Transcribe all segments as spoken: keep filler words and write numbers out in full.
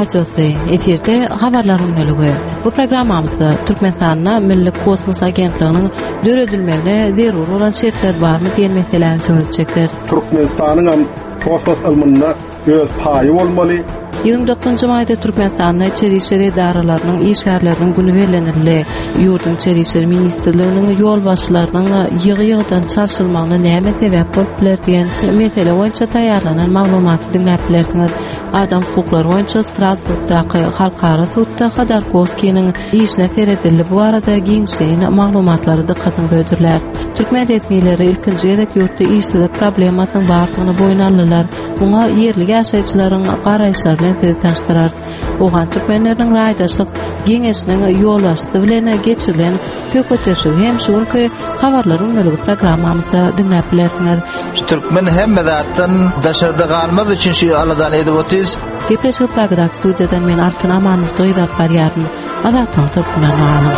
Radiosy, efirde Habarlar gündeligi. Bu programmamyzda Türkmenistanda Milli kosmos agentliginiň döredilmegine zerur bolan şertler barmy diýen meseläni söz çekeris. Türkmenistanyň hem kosmos ylmynda öz paýy bolmaly. Ýigrimi dokuzynjy maýda Türkmenistanda içeri işler edaralarynyň işgärleriniň güni bellenildi. Ýurduň içeri işler ministrliginiň ýolbaşçylarynyň ýygy-ýygydan çalşylmagyna näme sebäp bolup biler diýen mesele boýunça taýýarlanan maglumaty diňläp bilersiňiz. Adam hukuklary boýunça Strasburgdaky halkara sudda Hodorkowskiniň işine seredildi. Bu barada giňişleýin maglumatlary dykgatyňyza hödürläris. Türkmen resmileri ilkinji gezek ýurtda işsizlik problemasynyň bardygyny boýun aldylar. Muňa ýerli ýaşaýjylaryň garaýyşlary bilen sizi tanyşdyrarys. Owgan türkmenleriniň raýdaşlyk geňeşiniň ýolbaşçysy bilen geçirilen söhbetdeşligi hem şu günki Habarlar gündeligi programmamyzda diňläp bilersiňiz. Şu türkmen hemme zatdan daşarda galmaz üçin şu aladany edip otyrys. Gepleşigi Pragadaky studiýadan men Altyn Amanmurdy alyp barýaryn. Azatlygyň tolkunlaryny galyň.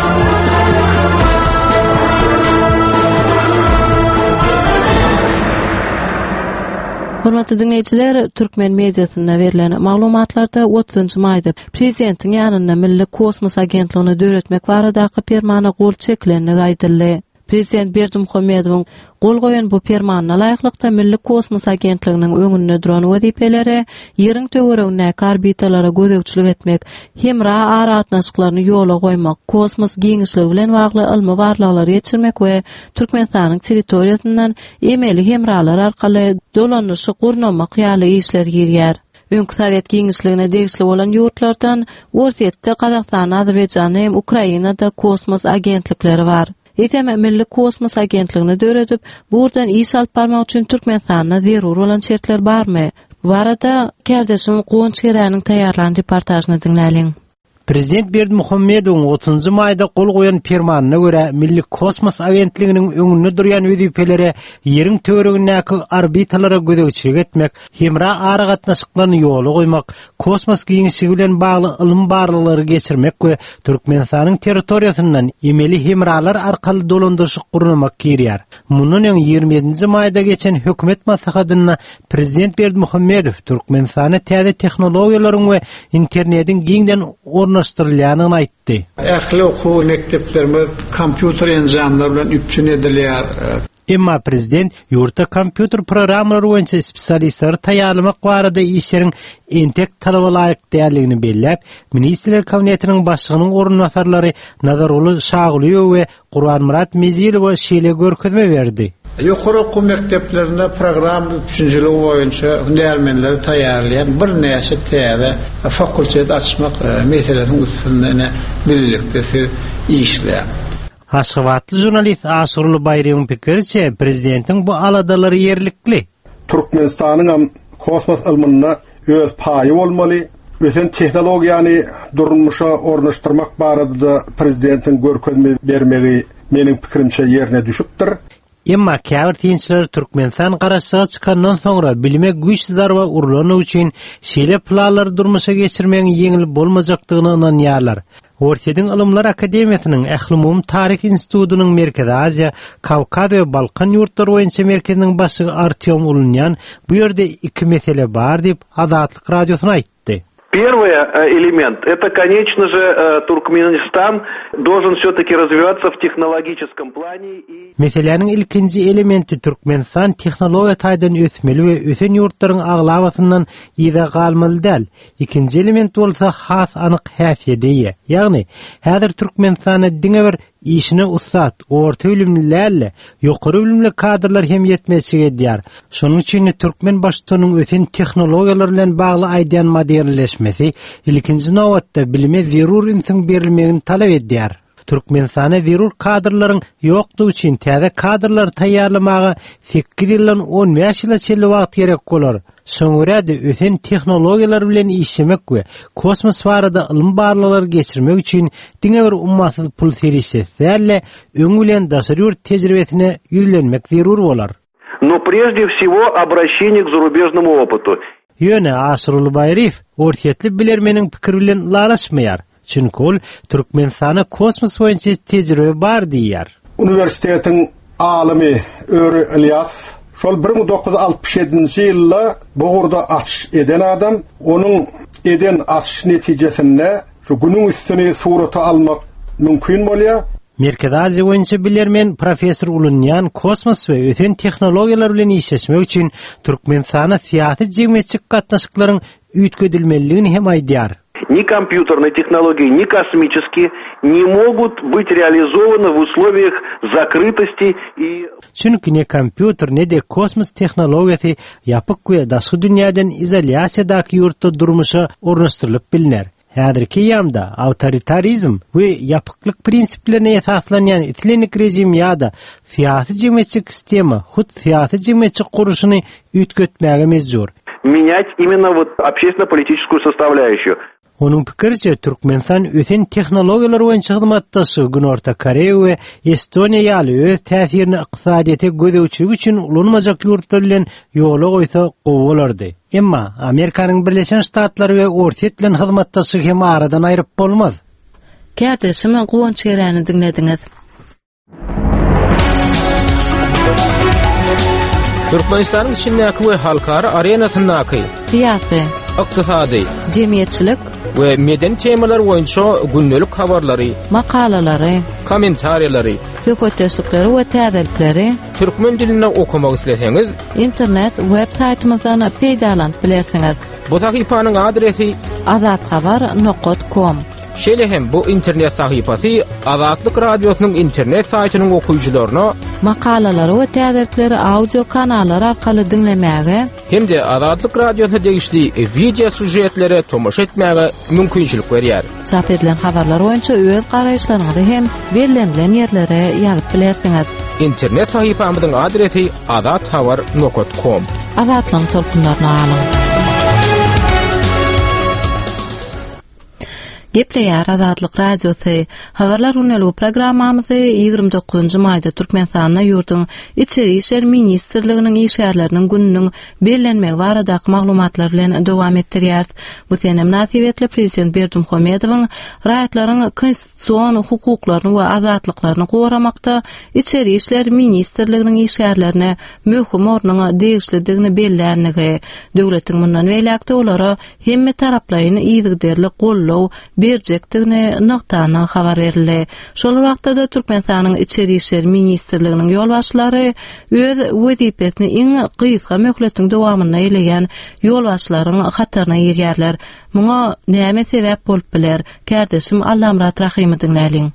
Hormatly diňleýjiler, türkmen mediasynda berlen maglumatlarda otuzynjy maýda prezidentiň ýanynda Milli kosmos agentligini döretmek baradaky permana gol çekilendigi aýdyldy. Prezident Berdimuhamedowyň gol goýan bu permanyna laýyklykda Milli kosmos agentliginiň öňünde duran wezipelere Ýeriň töweregindäki orbitalara gözegçilik etmek, hemra aragatnaşyklaryny ýola goýmak, kosmos giňişligi bilen bagly ylmy barlaglary geçirmek we Türkmenistanyň territoriýasyndan emeli hemralar arkaly dolanyşy gurnamak ýaly işler girýär. Öňki sowet giňişligine degişli bolan ýurtlardan Orsýetde, Gazagystanda, Azerbaýjanda hem Ukrainada kosmos agentlikleri bar. Eýsem, Milli kosmos agentligini döredip, bu ugurdan iş alyp barmak üçin Türkmenistanda zerur bolan şertler barmy? Bu barada kärdeşim Guwanç Geräniň taýýarlan reportažyny diňläliň. Prezident Berdimuhamedowyň otuzynjy maýda gol goýan permanyna görä, Milli kosmos agentliginiň öňünde durýan wezipelere Ýeriň töweregindäki orbitalara gözegçilik etmek, hemra aragatnaşyklaryny ýola goýmak, kosmos giňişligi bilen bagly ylmy barlaglary geçirmek we Türkmenistanyň territoriýasyndan emeli hemralar arkaly dolandyryşy gurnamak girýär. Mundan öň ýigrimi ýedinji maýda geçen hökümet maslahatynda prezident Berdimuhamedow Türkmenistanda täze tehnologiýalaryň we internetiň giňden ornaşdyrylýandygyny aýtdy. Ähli okuw mekdeplerimiz kompýuter enjamlary bilen üpjün edilýär. Emma prezident ýurtda kompýuter programmalary boýunça spesialistleri taýýarlamak barada işleriň entek talaba laýyk däldigini belläp, Ministrler Kabinetiniň başlygynyň orunbasarlary Nazarguly Şagulyýew we Gurbanmyrat Mezilowa şeýle görkezme berdi. Ýokary okuw mekdeplerinde programma üpjünçiligi boýunça hünärmenleri taýýarlaýan birnäçe täze fakultet açmak meselesiniň üstünde ine bilelikde siz işläň. Aşgabatly žurnalist Aşyrguly Baýryň pikiriçe, prezidentiň bu aladalary ýerlikli. Türkmenistanyň hem kosmos ylmynda öz paýy bolmaly. Ösen tehnologiýany durmuşa ornaşdyrmak barada prezidentiň görkezme bermegi meniň pikirimçe ýerine düşüpdir. Emma käbir synçylar Türkmenistan garaşsyzlyga çykandan soňra bilime güýçli zarba urlany üçin şeýle planlary durmuşa geçirmegiň ýeňil bolmajakdygyna ynanýarlar. Orsýetiň Ylymlar Akademiýasynyň Ählumumy taryh institutynyň Merkezi Aziýa, Kawkaz we Balkan ýurtlary boýunça merkeziniň başlygy Artýom Ulunýan bu ýerde iki mesele bar diýip, Azatlyk Radiosyna aýtdy. Первый элемент это, конечно же, Туркменистан должен все-таки развиваться в технологическом плане и Meseläniň ilkinji elementi Türkmenistan tehnologiýa taýdan ösmeli we ösen ýurtlaryň aglabasyndan yza galmaly däl. Ikinji element bolsa has anyk häsiýete eýe. Ýagny, häzir Türkmenistanda diňe bir işine ussat, orta bilimli däl-de, ýokary bilimli kadrlar hem ýetmezçilik edýär. Şonuň üçin türkmen baştutanyň ösen tehnologiýalar bilen bagly aýdýan modernleşmesi ilkinji nobatda bilime zerur ünsüň berilmegini talap edýär. Türkmenistana zerur kadrlaryň ýokdugy üçin täze kadrlary taýýarlamaga sekiz ýyldan on bäş ýyla çenli wagt gerek bolar. Şoňa ösen tehnologiýalar bilen işlemek we kosmos barada ylmy barlaglary geçirmek üçin diňe bir ummasyz pul serişdesi däl-de, öň bilen daşary ýurt tejribesine ýüzlenmek zerur bolar. Но прежде всего обращение к зарубежному опыту. Ýöne Aşyrguly Baýryýew orsýetli bilermeniň pikiri bilen ylalaşmaýar. Çünki ol Türkmenistana kosmos boýunça tejribe bar diýýär. Uniwersitetiň alymy Öri Ilýas şol bir müň dokuz ýüz altmyş ýedinji ýylda bu ugurda açyş eden adam, onuň eden açyş netijesinde şu günüň üstüni surata almak mümkin bolýar. Merkezi Aziýa boýunça bilermen professor Ulunyan kosmos we ösen tehnologiýalar bilen işleşmek üçin Türkmenistana syýasy jemgyýetçilik gatnaşyklaryň üýtgedilmelidigini hem aýdýar. Ни компьютерные технологии, ни космические не могут быть реализованы в условиях закрытости и Çünki ne kompýuter ne de kosmos tehnologiýasy ýapyk we daşky dünýäden izolýasiýadaky ýurtda durmuşa ornaşdyrylyp biliner. Häzirki ýamda awtoritarizm we ýapyklyk prinsiplerine esaslanýan islendik rejim ýa-da syýasy jemgyýetçilik sistema hut syýasy jemgyýetçilik gurluşyny üýtgetmäge mejbur. Менять именно вот общественно-политическую составляющую. Onuň pikiriçe Türkmenistan ösen tehnologiýalar boýunça hyzmatdaşy Günorta Koreýa we Estoniýa ýaly öz täsirini ykdysadyýete gözegçilik üçin ulanmajak ýurtlar bilen ýola goýsa gowy bolardy. Emma Amerikanyň Birleşen Ştatlary we Orsýet bilen hyzmatdaşlygy hem aradan aýryp bolmaz. Kärdeşim Guwanç Geräni diňlediňiz. Türkmenistanyň içindäki we halkara arenasyndaky syýasy, ykdysady, jemgyýetçilik we medeni temalar boýunça gündelik habarlary, makalalary, kommentariýalary, söhbetdeşlikleri we täzelikleri türkmen dilinde okumak isleseňiz, internet web saýtymyzdan peýdalanyp bilersiňiz. Bu sahypanyň adresi azathabar nokta com. Şeýle hem bu internet sahypasy Azatlyk radiosynyň internet saýtynyň okyjylaryna makalalary we täzelikleri audio kanallar arkaly diňlemäge hem de Azatlyk radiosyna degişli video süjetlere tomaşa etmäge mümkinçilik berýär. Çap edilen habarlar boýunça öz garaýyşlaryňyzy hem bellenilen ýerlere ýazyp bilersiňiz. Internet sahypamyzyň adresi azathabar nokta com. Azatlygyň tolkunlaryny alyň. Gepleýär Azatlyk Radiosy. Habarlar günlügi programmamyzy ýigrimi dokuzynjy maýda Türkmenistanda ýurduň Içeri İşler Ministrliginiň işgärleriniň gününiň bellenmegi baradaky maglumatlar bilen dowam etdirýär. Bu sene mynasybetli Prezident Berdimuhamedowyň raýatlaryň konstitusion hukuklaryny we azatlyklaryny goramakda Içeri İşler Ministrliginiň işgärlerine möhüm ornuň degişlidigini bellenligi, döwletiň mundan beýläk-de olara hemme taraplaýyn yzygiderli goldaw berjekdigini nygtanyň habar berildi. Şol wagtda da Türkmenistanyň Içeri İşler Ministrliginiň ýolbaşçylary öz wezipesini iň gysga möhletiň dowamynda eleýän ýolbaşçylaryň hataryna girýärler. Muňa näme sebäp bolup biler? Kärdeşim Allamyrat Rahymy diňläliň.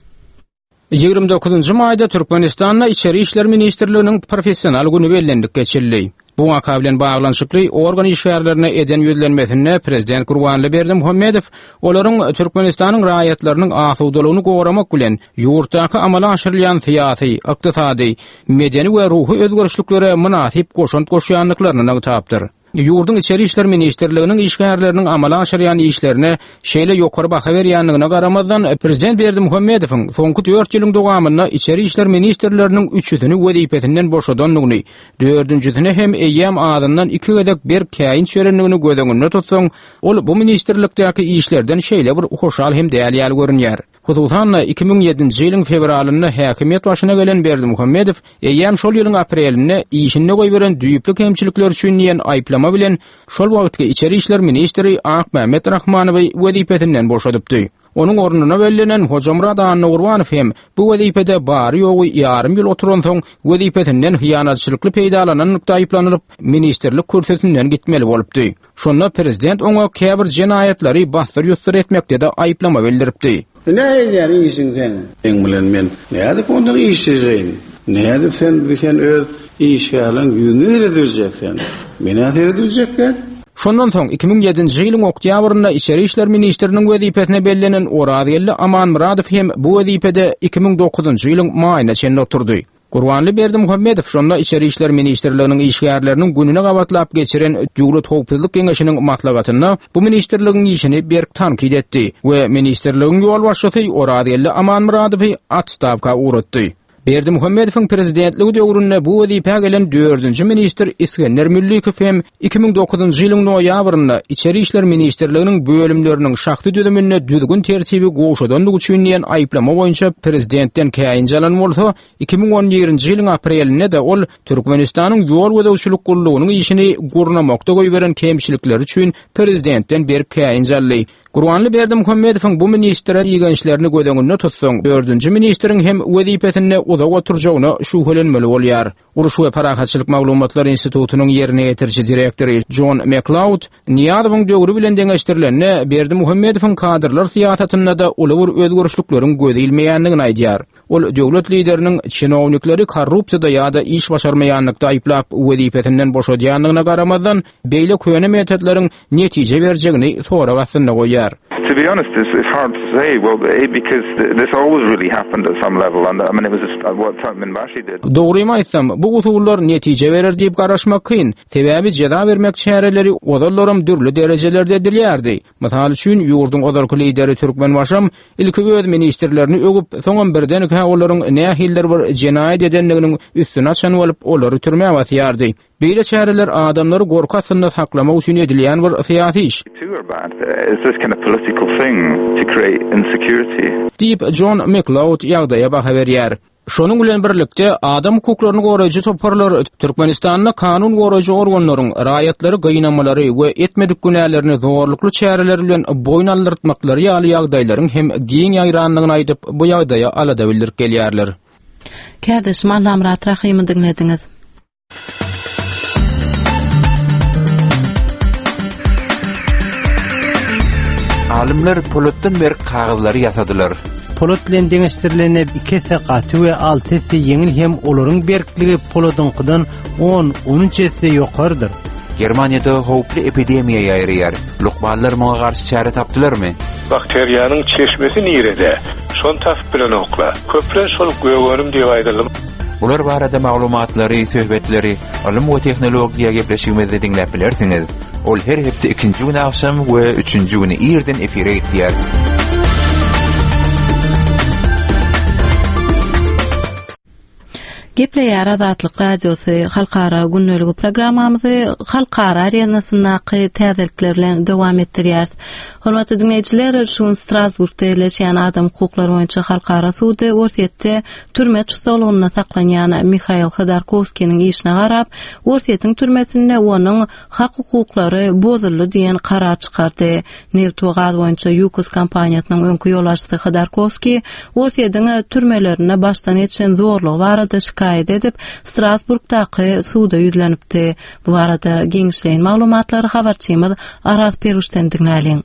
Ýigrimi dokuzynjy maýda Türkmenistanda Içeri İşler Ministrliginiň professional günü bellendik geçirildi. Bu waka bilen baglanyşykly organ işgärlerine eden ýüzlenmesinde Prezident Gurbanguly Berdimuhamedow olaryň Türkmenistanyň raýatlarynyň asudalygyny goramak bilen ýurtdaky amala aşyrylýan syýasy, ykdysady, medeni we ruhy özgerişliklere mynasyp goşant goşýandyklaryny nygtapdyr. Ýurduň Içeri İşler Ministrliginiň işgärleriniň amala aşyrýan işlerine şeýle ýokary baha berýändigine garamazdan Prezident Berdimuhamedowyň soňky dört ýylyň dowamynda Içeri İşler Ministrleriniň üçüsini wezipesinden boşadandygyny, dördünjisini hem eýýäm azyndan iki gezek berk käýinç berendigini göz öňünde tutsaň, ol bu ministrlikdäki işlerden şeýle bir hoşal hem däl ýaly görünýär. Hususan-da iki müň ýedinji ýylyň fewralynda häkimiýet başyna gelen Berdimuhamedow eýýäm şol ýylyň aprelinde işinde goýberen düýpli kemçilikler üçin diýen aýyplama bilen şol wagtky Içeri İşler Ministri Akmämmet Rahmanowy wezipesinden boşadypdy. Onuň ornuna bellenen Hojamurad Annagurbanow hem bu wezipede bary ýogy ýarym ýyl oturansoň wezipesinden hyýanatçylykly peýdalananlykda aýyplanyp, ministrlik kürsüsinden gitmeli bolupdy. Şonda prezident oňa käbir jenaýatlary basdyr-ýusdyr etmekde-de aýyplama bildiripdi. Ne edýär işiň sen? Sen bilen men nädip ondan işlejegin? Nädip sen sen öz işgärleň ýüzüni serediljek sen? Meni serediljekler? Şondan soň iki müň ýedinji ýylyň oktýabrynda Içeri İşler Ministriniň wezipesine bellenen Orazgeldi Amanmyradow hem bu wezipede iki müň dokuzynjy ýylyň maýyna çenli oturdy. Gurbanguly Berdimuhamedow şonda Içeri İşler Ministrliginiň işgärleriniň gününe gabatlap geçiren Döwlet Howpsuzlyk Geňeşiniň maslahatynda bu ministrligiň işini berk tankyt etdi we ministrligiň ýolbaşçysy Orazgeldi Amanmyradowy otstawka ugratdy. Berdimuhamedowyň prezidentligi döwründe bu wezipä gelen dördünji ministr Iskender Müllikow hem iki müň dokuzynjy ýylyň noýabrynda Içeri işler ministrliginiň bölümleriniň şahsy düzüminde düzgün tertibi gowşadanlygy üçin diýen aýyplama boýunça prezidentden käýinç alan bolsa, iki müň on birinji ýylyň aprelinde de ol Türkmenistanyň ýol gözegçilik gullugynyň işini gurnamakda goýberen kemçilikleri üçin prezidentden berk käýinç aldy. Gurbanly Berdimuhamedowyň bu ministre igençlerini göz öňünde tutsaň, dördünji ministriň hem wezipesinde uzak oturjagyna şübhelenmeli bolýar. Uruş we Parahatçylyk Maglumatlar Institutynyň ýerine ýetiriji direktory John McLeod Nyýazowyň döwri bilen deňeşdirilende Berdimuhamedowyň kadrlar syýasatynda da uly bir özgerişlikleriň göz ilmeýändigini aýdýar. Ol döwlet lideriniň çinownikleri korrupsiýada ýa-da iş başarmaýanlykda aýyplap wezipesinden boşadýandygyna garamazdan, beýle köne metodlaryň netije berjegini sorag astynda goýýar. To be honest, it's, it's hard to say. Well, because this always really happened at some level, and I mean, it was just what Turkmenbashi did. Dogrymy aýtsam, bu usullar netije berer diýip garaşmak kyn. Sebäbi jeza bermek çäreleri ozallaram dürli derejelerde edilýärdi. Mysal üçin, ýurduň ozalky lideri Türkmenbaşam ilki öz ministrlerini öwüp, soňam birdenkä olaryň nähilidir bir jenaýat edendiginiň üstüni açan bolup, olary türmä basýardy. Beýle çäreler adamlary gorky astynda saklamak üçin edilýän bir syýasy iş. Diýip John McLeod ýagdaýa baha berýär. Şonuň bilen birlikde adam hukuklaryny goraýjy toparlar Türkmenistanda kanun goraýjy organlaryň raýatlary gynamalary we etmedik günälerini zorlukly çäreler bilen boýun aldyrtmaklary ýaly ýagdaýlaryň hem giň ýaýrandygyny aýdyp, bu ýagdaýa alada bildirip gelýärler. Kärdeşim Allamyrat Rahymy diňlediňiz. Alymlar polatdan berk kagyzlary ýasadylar. Polat bilen deňeşdirilende iki esse gaty we alty esse ýeňil hem olaryň berkligi poladyňkydan on, on üç esse ýokarydyr. Germaniýada howply epidemiýa ýaýraýar. Lukmanlar muňa garşy çäre tapdylarmy? Bakteriýanyň çeşmesi nirede? Şon tapyp bilen okla. Köplen şol gögönüm diýip aýdyldy. Bular barada maglumatlary, söhbetleri, ylym we tehnologiýa gepleşigimizde diňläp bilersiňiz. Ol her hepde ikinji gün akşam we üçünji güni irden efire gitýär. Gepleýär Azatlyk Radiosy Halkara gündeligi programmamyzy halkara arenasyndaky täzelikler bilen dowam etdirýäris. Hormatly dinleýjiler, şu gün Strasburgda ýerleşýän adam hukuklary boýunça halkara sudy Orsýetde türme tutsaglygynda saklanýan Mihail Hodorkovskiniň işine garap, Orsýetiň türmesinde onuň hak hukuklary bozuldy diýen karar çykardy. Neft we gaz boýunça Yukos kompaniýasynyň öňki ýolbaşçysy Hodorkovski Orsýetiň türmelerinde başdan geçen zorlugy barada şikaýat edip, Strasburgdaky suda ýüzlenipdi. Bu barada giňişleýin maglumatlary habarçymyz Araz Peruşdan diňläliň.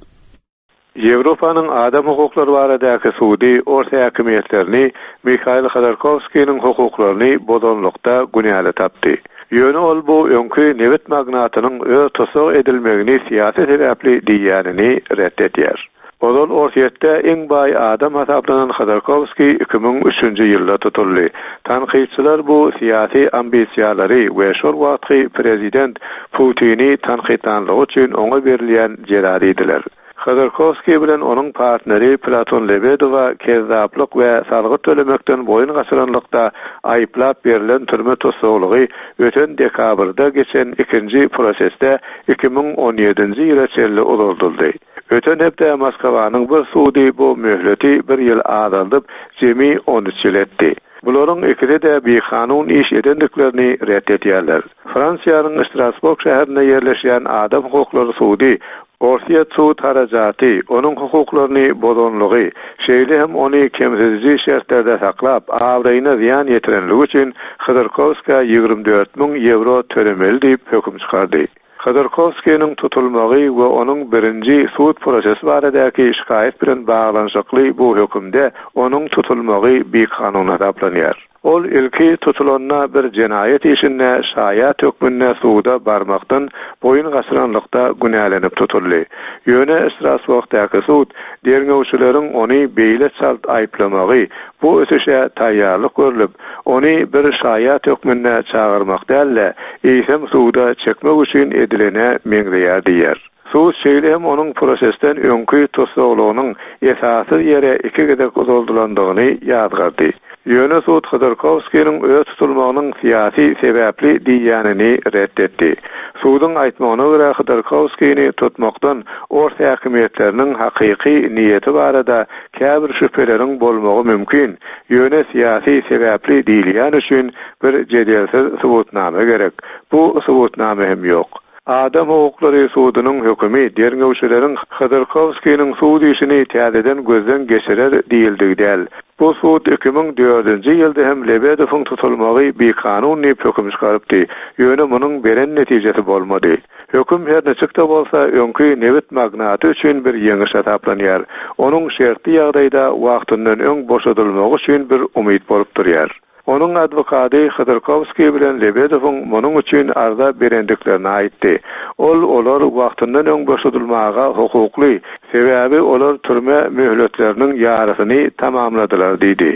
Ýewropanyň adam hukuklary baradaky sudy Ors häkimiýetlerini Mihail Hodorkovskiniň hukuklaryny bozanlykda günäli tapdy. Ýöne ol bu öňki nebit magnatynyň öz tussag edilmegini syýasy sebäpli diýýänini ret edýär. Ozal Orsýetde iň baý adam hasaplanan Hodorkovski iki müň üçünji ýylda tutuldy. Tankytçylar bu syýasy ambisiýalary we şol wagtky prezident Putini tankytlanlygy üçin oňa berilýän jeza diýdiler. Hodorkovski bilen onuň partneri Platon Lebedowa kezzaplyk we salgyt tölemekden boýun gaçyranlykda aýyplap berilen türme tussaglygy öten dekabrda geçen ikinji prosesde iki müň on ýedinji ýyla çenli uzaldyldy. Öten hepde Moskwanyň bir sudy bu möhleti bir ýyl azaldyp, jemi on üç ýyl etdi. Bularyň ikisi de bikanun iş edendiklerini ret edýärler. Fransiýanyň Strasburg şäherinde ýerleşýän adam hukuklary sudy Orsýet sud harajaty, onuň hukuklaryny bozanlygy, şeýle hem ony kemsidiji şertlerde saklap, abraýyna zyýan ýetirenligi üçin Hodorkovska ýigrimi dört müň ýewro tölemeli diýip höküm çykardy. Hodorkovskiniň tutulmagy we onuň birinji sud prosesi baradaky şikaýat bilen baglanyşykly bu hökümde onuň tutulmagy bikanun hasaplanýar. Ol ilki tutulanda bir jenaýat işinde şaýat hökmünde suda barmakdan boýun gaçyranlykda günälenip tutuldy. Ýöne Strasburgdaky sud derňewçileriň ony beýle çalt aýyplamagy bu ösüşe taýýarlyk görlüp, ony bir şaýat hökmünde çagyrmak däl-de, eýsem suda çekmek üçin edilene meňzeýär diýär. Sud şeýle hem onuň prosesden öňki tussaglygynyň esasy ýere iki gezek uzaldylandygyny ýazgardy. Ýöne sud Hodorkowskiniň öz tutulmagynyň syýasy sebäpli diýenini ret etdi. Suduň aýtmagyna görä Hodorkowskini tutmakdan ors häkimiýetleriniň hakyky niýeti barada käbir şübheleriň bolmagy mümkin. Ýöne syýasy sebäpli diýilýän üçin bir jedelsiz subutnama gerek. Bu subutnama hem ýok. Adam hukuklary sudunyň hökümi derňewçileriň Hodorkowskiniň sud işini täzeden gözden geçirer diýildigi däl. Bu sud iki müň dördünji ýylda hem Lebedowyň tutulmagy bikanun diýip höküm çykarypdy. Ýöne munuň beren netijesi bolmady. Höküm her niçik-de bolsa öňki nebit magnaty üçin bir ýeňiş hasaplanýar. Onuň şertli ýagdaýda wagtyndan öň boşadylmagy üçin bir umyt bolup durýar. Onuň advokady Hodorkowskiý bilen Lebedowyň munuň üçin arza berendiklerini aýtdy. Ol olar wagtyndan öň boşadylmaga hukukly, sebäbi olar türme möhletleriniň ýarysyny tamamladylar diýdi.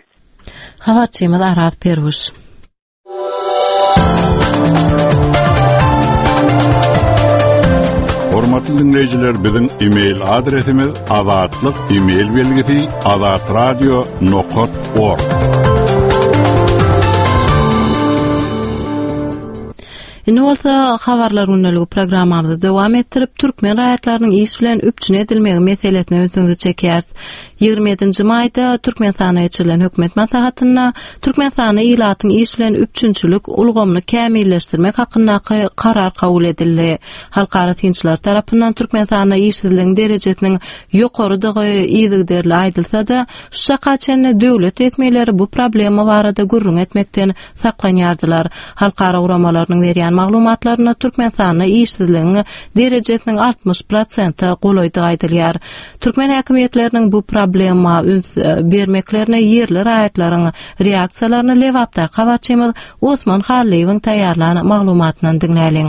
Habarçymyz Arat Perwiş. Hormatly dinleýjiler, biziň e-mail adresimiz azatlyk e-mail belgisi azatradio nokta org. Indi bolsa habarlar gündeligi programmamyzy dowam etdirip, türkmen raýatlarynyň iş bilen üpjün edilmegi meselesine ünsüňizi çekýäris. Ýigrimi ýedinji maýda Türkmenistana geçirilen hökümet maslahatynda Türkmenistanda ilatyň iş bilen üpjünçilik ulgamyny kämilleşdirmek hakyndaky karar kabul edildi. Halkara synçylar tarapyndan Türkmenistanda işsizligiň derejesiniň ýokarydygy yzygiderli aýdylsa-da, şu çaka çenli döwlet resmileri bu problema barada gürrüň etmekden saklanýardylar. Halkara guramalarynyň berýän maglumatlarynda Türkmenistanda işsizligiň derejesiniň altmyş prosente golaýdygy aýdylýar. Türkmen häkimiýetleriniň bu problema üns bermeklerine ýerli raýatlaryň reaksiýalaryny Lebapdaky habarçymyz Osman Hallyýewiň taýýarlan maglumatyndan diňläliň.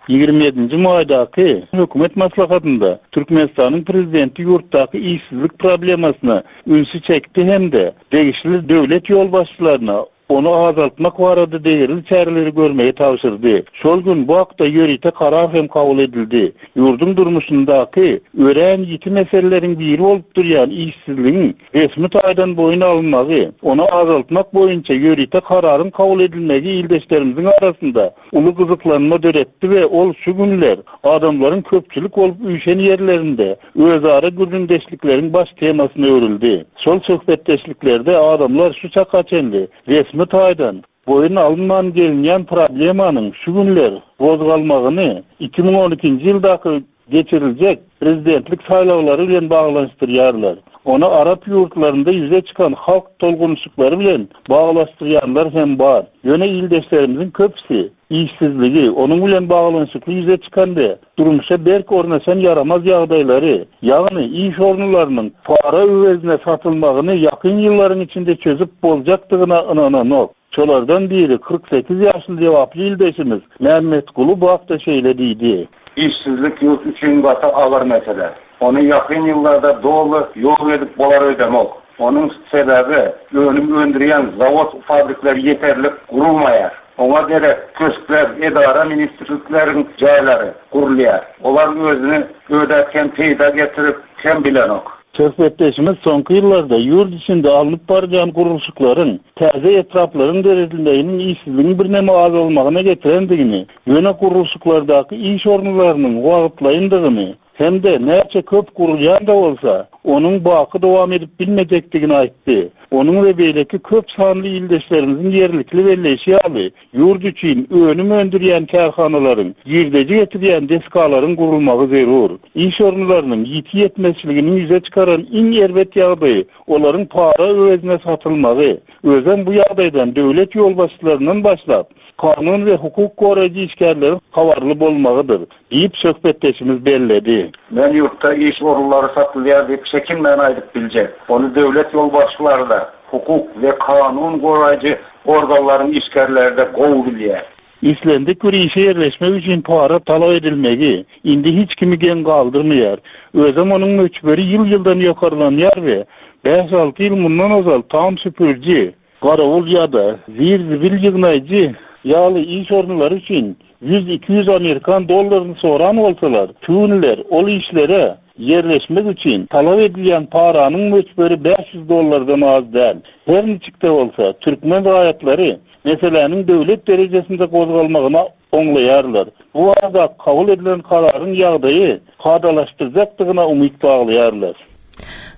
Ýigrimi ýedinji maýdaky hökümet maslahatynda Türkmenistanyň prezidenti ýurtdaky işsizlik problemasyna ünsi çekdi hem-de degişli döwlet ýolbaşçylaryna onu azaltmak barada degerli çäreleri görmegi tabşyrdy. Şol gün bu hakda ýörite karar hem kabul edildi. Ýurduň durmuşyndaky örän ýiti meseleleriň biri bolup durýan işsizligiň resmi taýdan boýun alynmagy, onu azaltmak boýunça ýörite kararyň kabul edilmegi ildeşlerimiziň arasynda uly gyzyklanma döretdi we ol şu günler adamlaryň köpçülik bolup üýşen ýerlerinde özara gürrüňdeşlikleriň baş temasyna öwrüldi. Şol söhbetdeşliklerde adamlar şu çaka çenli resmi taýdan boýun alynman gelinýän problemanyň şu günler gozgalmagyny iki müň on ikinji ýyldaky geçiriljek prezidentlik saýlawlary bilen baglanyşdyrýarlar. Onu Arap ýurtlarynda ýüze çykan halk tolgunyşyklary bilen baglaşdyrýanlar hem bar. Ýöne ildeşlerimiziň köpüsi işsizligi, onuň bilen baglanyşykly ýüze çykan we durmuşa berk ornaşan ýaramaz ýagdaýlary, ýagny iş orunlarynyň para öwezine satylmagyny ýakyn ýyllaryň içinde çözüp boljakdygyna ynananok. Şolardan biri kyrk sekiz ýaşly jogaply ildeşimiz Mehmet Gulu bu hakda şeýle diýdi. Işsizlik ýurt üçin gaty agyr mesele. Onu ýakyn ýyllarda doly ýok edip bolar ödemok. Onuň sebäbi önüm öndürýän zawod fabrikleri ýeterlik gurulmaýar. Oňa gerek köşkler, edara ministrlikleriň jaýlary gurulýar. Olar özüni ödäp hem peýda getirip hem bilenok. Söhbetdeşimiz soňky ýyllarda ýurt içinde alnyp barýan gurluşyklaryň, täze etraplaryň döredilmeginiň işsizligiň birneme azalmagyna getirendigini, ýöne gurluşyklardaky iş orunlarynyň wagtlaýyndygyny hem-de näçe köp gurulýan da bolsa, onuň baky dowam edip bilmejekdigini aýtdy. Onuň we beýleki köp sanly ildeşlerimiziň ýerlikli belleýşi ýaly, ýurt üçin önüm öndürýän kärhanalaryň, girdeji getirýän desgalaryň gurulmagy zerur. Iş orunlarynyň ýiti ýetmezçiliginiň ýüze çykaran iň erbet ýagdaýy olaryň para öwezine satylmagy. Özem bu ýagdaýdan döwlet ýolbaşçylaryndan başlap, kanun we hukuk goraýjy işgärleriň habarly bolmagydyr, diýip söhbetdeşimiz belledi. Men ýurtda iş orunlary satylýar diýip çekinmän aýdyp biljek. Ony döwlet ýolbaşçylary da, hukuk we kanun goraýjy organlaryň işgärleri de gowy bilýär. Islendik bir işe ýerleşmek üçin para talap edilmegi indi hiç kimi geň galdyrmaýar. Özem onuň möçberi ýyl-ýyldan ýokarlanýar we bäş alty ýyl mundan ozal tam süpürji, garawul ýa-da zir-zibil ýygnaýjy ýaly iş orunlary üçin ýüz iki ýüz Amerikan dollaryny soran bolsalar, tüwünler ol işlere Yerleşmek üçin talap edilýän paranyň möçberi bäş ýüz dollardan az däl. Her niçik-de bolsa, türkmen raýatlary meseläniň döwlet derejesinde gozgalmagyna oňlaýarlar. Bu arada kabul edilen kararyň ýagdaýy kadalaşdyrjakdygyna umyt baglaýarlar.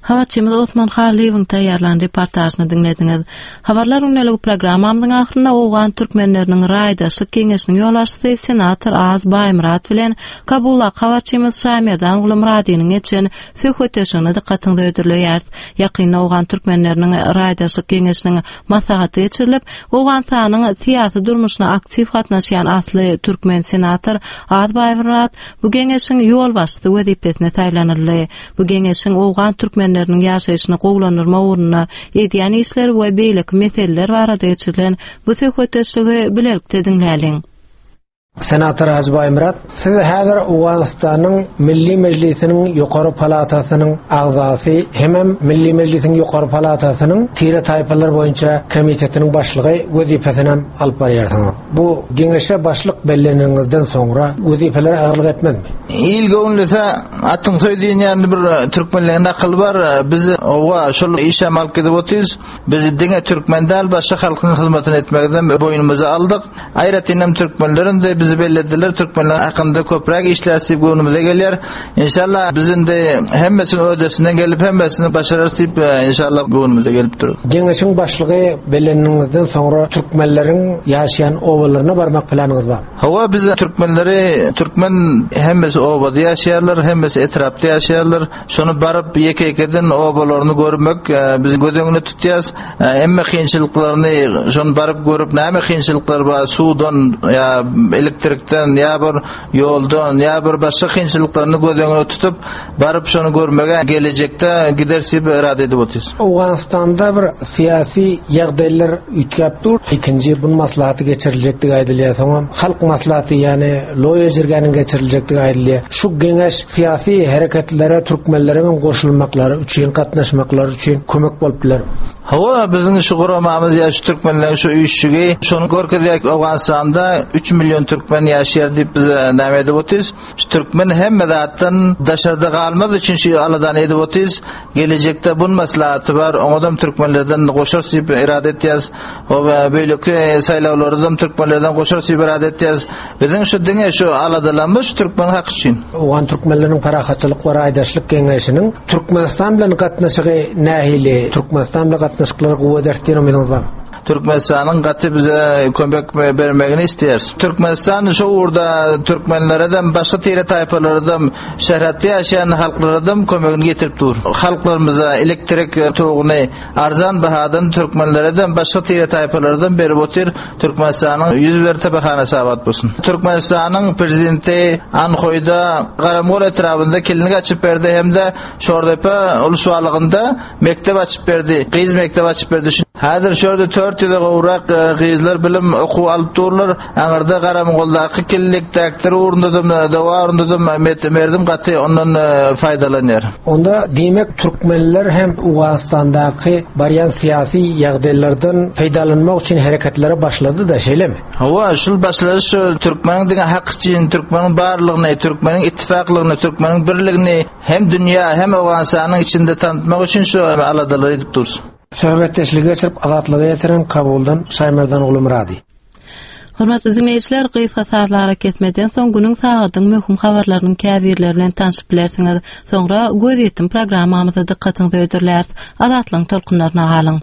Habarçymyz Osman Halyýewiň taýýarlan reportažyny diňlediňiz. Habarlar gündelik programmamyzyň ahyrynda Owgan türkmenleriniň raýdaşlyk geňeşiniň ýolbaşçysy senator Az Baýmyrat bilen Kabulda habarçymyz Şamerdan Gulumradynyň geçen söhbetdeşligine dykgatyňyzy hödürleýäris. Ýakynda Owgan türkmenleriniň raýdaşlyk geňeşiniň maslahaty geçirilip, Owganystanyň syýasy durmuşyna aktiw gatnaşýan asly türkmen senator Az Baýmyrat bu geňeşiň ýolbaşçysy wezipesine saýlanyldy. Bu geňeşiň Owgan türkmenleriniň ýaşaýşyny gowulandyrma ugrunda edýän işleri we beýleki meseleler barada geçirilen bu söhbetdeşligi bilelikde diňläliň. Senator Hajy Baýmyrat, siz häzir Owganystanyň Milli Mejlisiniň Ýokary Palatasynyň agzasy, hemem Milli Mejlisiň Ýokary Palatasynyň tire taýpalar boýunça komitetiniň başlygy wezipesini hem alyp barýarsyňyz. Bu geňeşe başlyk belleniňizden soňra wezipeler agyrlyk etmezmi? Il göwnülese atyň söý diýen bir türkmenlerin akyly bar. Biz owa şol işe alyp gidip otyrys. Biz diňe türkmen däl, başga halkyň hyzmatyny etmekden boýnumyza aldyk. Aýratyn hem türkmenlerin de bizi bellediler. Türkmenler hakynda köpräk işler diýip göwnümize gelýär. Inşallah biz indi hemmesini ödesinden gelip hemmesini başararys diýip inşallah göwnümize gelip dur. Geňeşiň başlygy belleniňizden soňra türkmenleriň ýaşaýan obalaryna barmak planyňyz bar. Hawa, biz türkmenleri, türkmen hemmesi obada ýaşaýarlar, hemmesi etrapda ýaşaýarlar. Şonu baryp ýeke-ýekeden obalaryny görmek biz göz öňüne tutýas. Hemme kynçylyklaryny şonu baryp görüp näme kynçylyklar bar, suwdan ýa elektrikden ýa bir ýoldan ýa bir başga kynçylyklaryny göz öňüne tutup baryp şonu görmege gelejekde gider diýip irade edip otyrys. Owganystanda bir syýasy ýagdaýlar üýtgäp dur. Ikinji bu maslahaty geçiriljekdigi aýdylýar. Soňra halk maslahaty, ýagny Loýa jirgäniň geçiriljekdigi aýdylýar. Şu geňeş syýasy hereketlere türkmenleriň goşulmaklary üçin, gatnaşmaklary üçin kömek bolup biler. Hawa, biziň şu guramamyz ýa şu türkmenleriň şu üýşügi şonu görkezýär. Owganystanda üç million türkmen ýaşaýar diýip biz näme edip otyrys? Şu türkmen hemme zatdan daşarda galmaz üçin şu aladany edip otyrys. Gelejekde bun maslahaty bar, oňadam türkmenlerden goşarys diýip irade etýäs. O beýleki saýlawlardan türkmenlerden goşarys diýip irade etýäs. Biziň şu diňe şu aladalanmyş türkmen haky üçin. Owgan türkmenleriniň parahatçylyk we raýdaşlyk geňeşiniň Türkmenistan bilen gatnaşygy nähili? Türkmenistan bilen gatnaşyklary gowy ederis diýen umydyňyz bar? Türkmenistanyň gaty bize kömek bermegini istiyoruz. Türkmenistan şu uğurda türkmenlere de başga tire taýpalara da şähratda ýaşaýan halklara da kömegini getirip dur. Halklarymyza elektrik toguny arzan bahadan türkmenlere de başga tire taýpalara da berip otyr. Türkmenistanyň ýüz bir tepehanasy abat bolsun. Türkmenistanyň prezidenti Anhoýda Garamgol etrabynda klinik açyp berdi hem de Şordepe ulusbalygynda mektep açyp berdi. Gyz mektep açyp berdi. Häzir şurada dört ýüze gowrak gyzlar bilim okuw alyp durlar. Aňyrda Garamgoldaky klinik daktar ugrundadym, dawa ugrundadym, merdim gaty ondan faýdalanýar. Onda diýmek türkmenler hem Owganystandaky barýan syýasy ýagdaýlardan peýdalanmak üçin hereketlere başlady da, şeýlemi? Hawa, şul başlady şu türkmeniň diňe hak üçin, türkmeniň barlygyny, türkmeniň ittifaklygyny, türkmeniň birligini hem dünýä hem Owganystanyň içinde tanıtmak üçin şu aladalary edip dursun. Söhbetdeşligi geçirip Azatlyga ýetiren Kabuldan Şaýmerdan Gulumyrady. Hormatly dinleýjiler, gysga sazlara kesmeden soň günüň sagadyň möhüm habarlarynyň käbirleri bilen tanşyp bilersiňiz. Soňra göz ýetim programmamyza dykgatyňyzy hödürläris. Azatlygyň tolkunlaryna galyň.